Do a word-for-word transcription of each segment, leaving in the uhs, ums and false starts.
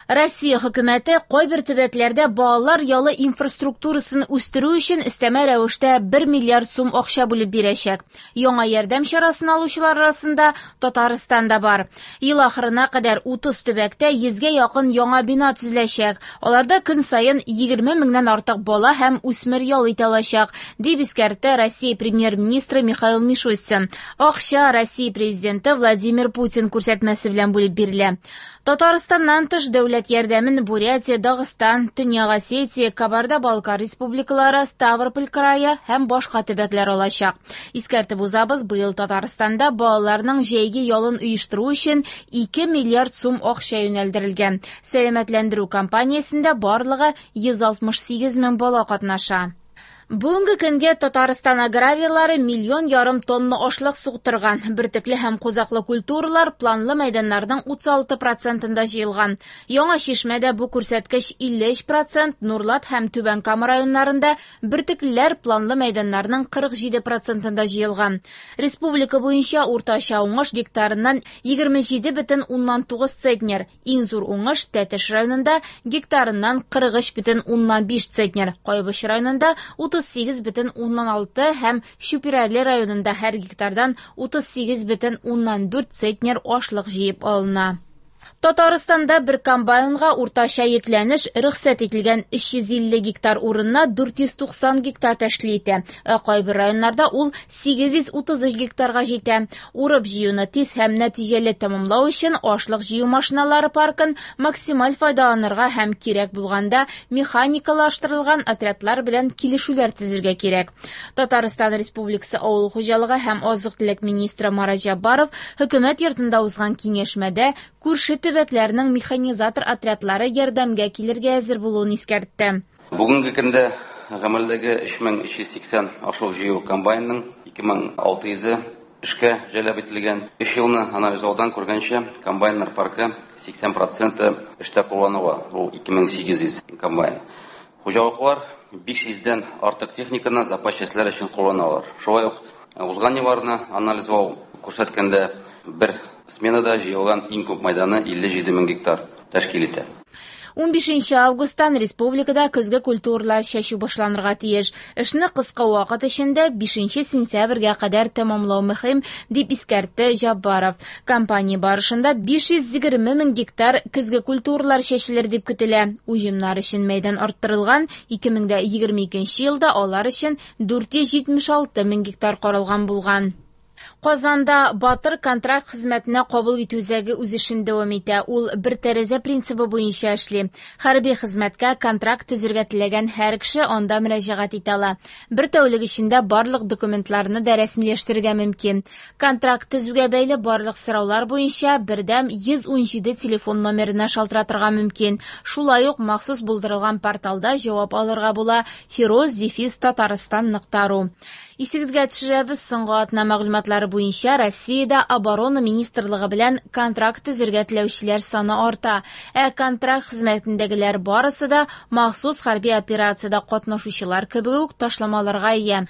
Россия хөкүмәте кайбер төбәкләрдә балалар ялы инфраструктурасын үстерү өчен өстәмә рәвештә бер миллиард сум акча бүлеп бирәчәк. Яңа ярдәм чарасын алучылар арасында Татарстан да бар. Ел ахырына кадәр утыз төбәктә йөзгә якын яңа бина төзеләчәк. Аларда көн саен егерме меңнән артык бала һәм үсмер ял итә алачак, дип искәртте Россия премьер-министры Михаил Мишустин. Акча Россия президенты Владимир Путин күрсәтмәсе белән бүлеп бирелә. Татарстаннан тыш дәүләт ярдәмен Бурятия, Дагыстан, Төньяк Осетия, Кабарда-Балкар республикалары, Ставрополь крае һәм башка төбәкләр алачак. Искәртеп узабыз, быел Татарстанда балаларның җәйге ялын оештыру өчен ике миллиард сум акча юнәлдерелгән. Сәламәтләндерү кампаниясендә барлыгы йөз алтмыш сигез мең бала катнаша. Бүгенге көнгә Татарстан аграрийлары миллион ярым тонна ашлык суктырган. Бөртекле һәм кузаклы культуралар планлы мәйданнарның утыз алты процентында җыелган. Яңа Чишмәдә бу күрсәткеч илле өч процент, Нурлат һәм Түбән Кама районнарында бөртеклеләр планлы мәйданнарның кырык җиде процентында җыелган. Республика буенча уртача уңыш гектарыннан егерме җиде бөтен уннан тугыз центнер, иң зур уңыш Тәтеш районында гектарыннан кырык өч бөтен уннан биш центнер, Кайбыч районында утыз сигез бөтен уннан алты һәм Чүпрәле районында һәр гектардан утыз сигез бөтен уннан дүрт центнер ашлык җыеп алына. Татарстанда бер комбайнга уртача йөкләнеш рөхсәт ителгән өч йөз илле гектар урынына дүрт йөз туксан гектар тәшкил итә. Ә кайбер районнарда ул сигез йөз утыз өч гектарга җитә. Урып җыюны тиз һәм нәтиҗәле тәмамлау өчен ашлык җыю машиналары паркын максималь файдаланырга һәм кирәк булганда механикалаштырылган отрядлар белән килешүләр төзергә кирәк. Татарстан Республикасы Авыл хуҗалыгы һәм азык-төлек министры Марат Җаббаров хөкүмәт йортында узган киңәшмәдә күрше төбәкләрнең механизатор отрядлары ярдәмгә килергә әзер булуын искәртте. Бүгенге көндә гамәлдәге өч мең өч йөз сиксән ашлык җыю комбайнының ике мең алты йөзе эшкә җәлеп ителгән. Өч елны анализлаудан күргәнчә, комбайннар паркы сиксән проценты эштә кулланыла, ул ике мең сигез йөз комбайн. Хуҗалыклар биш йөздән артык техниканы запас частьләр өчен кулланалар. Шулай ук узган елларны анализлау күрсәткәндә бер сменада җыелган иң күп майданы илле җиде мең гектар тәшкил итә. Унбишенче августтан республикада көзге культуралар чәчү башланырга тиеш. Эшне кыска вакыт эчендә бишенче сентябрьгә кадәр тәмамлау мөһим, дип искәртте Җаббаров. Кампания барышында биш йөз егерме мең гектар көзге культуралар чәчелер дип көтелә. Уҗымнар өчен мәйдан арттырылган, ике мең дә егерме икенче елда алар өчен дүрт йөз җитмеш алты мең гектар каралган булган. Казанда Батыр контракт хезмәтенә кабул итү үзәге үз эшен дәвам итә. Ул бер тәрәзә принцибы буенча эшли. Хәрби хезмәткә контракт төзергә теләгән һәр кеше анда мөрәҗәгать итә ала. Бер тәүлек эчендә барлык документларны да рәсмиләштерергә мөмкин. Контракт төзүгә бәйле барлык сораулар буенча бердәм йөз ун җиде телефон номерына шалтыратырга мөмкин. Шулай ук махсус булдырылган порталда җавап алырга була: хироз дефис татарстан нокта ру. Исегезгә төшерәбез, соңгы атна мәгълүматлары буенча Россиядә Оборона министрлыгы белән контракт төзергә теләүчеләр саны арта. Ә контракт хезмәтендәгеләр барысы да махсус хәрби операциядә катнашучылар кебек үк ташламаларга ия.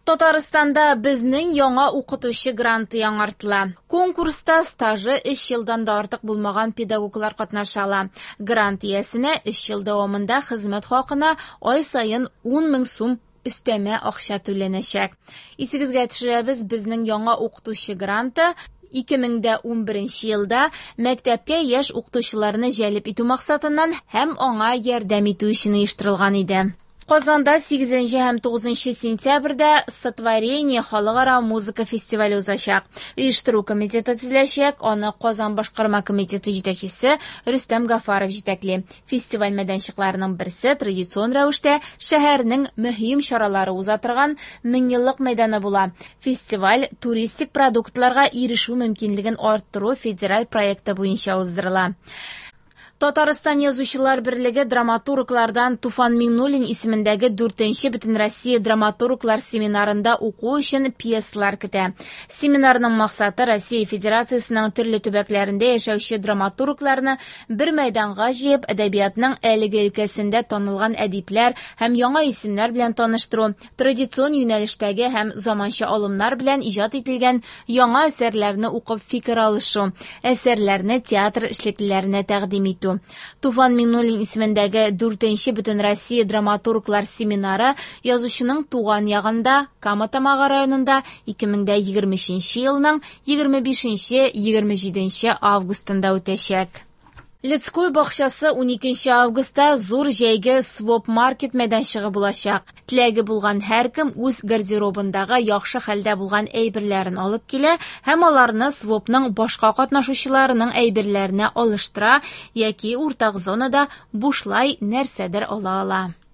Татарстанда безнең яңа укытучы гранты яңартыла. Конкурста стажы өч елдан да артык булмаган педагоглар катнаша ала. Грант иясенә өч ел дәвамында хезмәт хакына ай саен ун мең сум өстәмә акча түләнәчәк. Исегезгә төшерәбез, безнең яңа укытучы гранты ике мең дә унберенче елда мәктәпкә яшь укытучыларны җәлеп итү максатыннан һәм аңа ярдәм итү өчен оештырылган иде. Казанда сигезенче һәм тугызынчы сентябрьдә Сотворение халыкара музыка фестивале узачак. Оештыру комитеты төзеләчәк, аны Казан башкарма комитеты җитәкчесе Рөстәм Гафаров җитәкли. Фестиваль мәйданчыкларының берсе традицион рәвештә шәһәрнең мөһим чаралары уза торган Меңьеллык мәйданы була. Фестиваль туристик продуктларга ирешү мөмкинлеген арттыру федераль проекты буенча уздырыла. Татарстан Язучылар берлеге драматурглардан Туфан Миңнуллин исемендәге дүртенче Бөтенроссия драматурглар семинарында уку өчен пьесалар көтә. Семинарның максаты Россия Федерациясенең төрле төбәкләрендә яшәүче драматургларны бер мәйданга җыеп, әдәбиятның әлеге өлкәсендә танылган әдипләр һәм яңа исемнәр белән таныштыру, традицион юнәлештәге һәм заманча алымнар белән иҗат ителгән яңа әсәрләрне укып фикер алышу, әсәрләрне театр эшлеклеләренә тәкъдим итү. кую. Туфан Миңнуллин исемендәге дүртенче Бөтенроссия драматурглар семинары язучының туган ягында, Кама Тамагы районында ике мең дә егерме өченче елның егерме бишенче егерме җиденче августында үтәчәк. Людской бакчасы уникенче августта зур җәйге своп-маркет мәйданчыгы булачак. Теләге булган һәркем үз гардеробындагы яхшы хәлдә булган әйберләрен алып килә һәм аларны свопның башка катнашучыларының әйберләренә алыштыра яки уртак зонада бушлай нәрсәдер ала ала.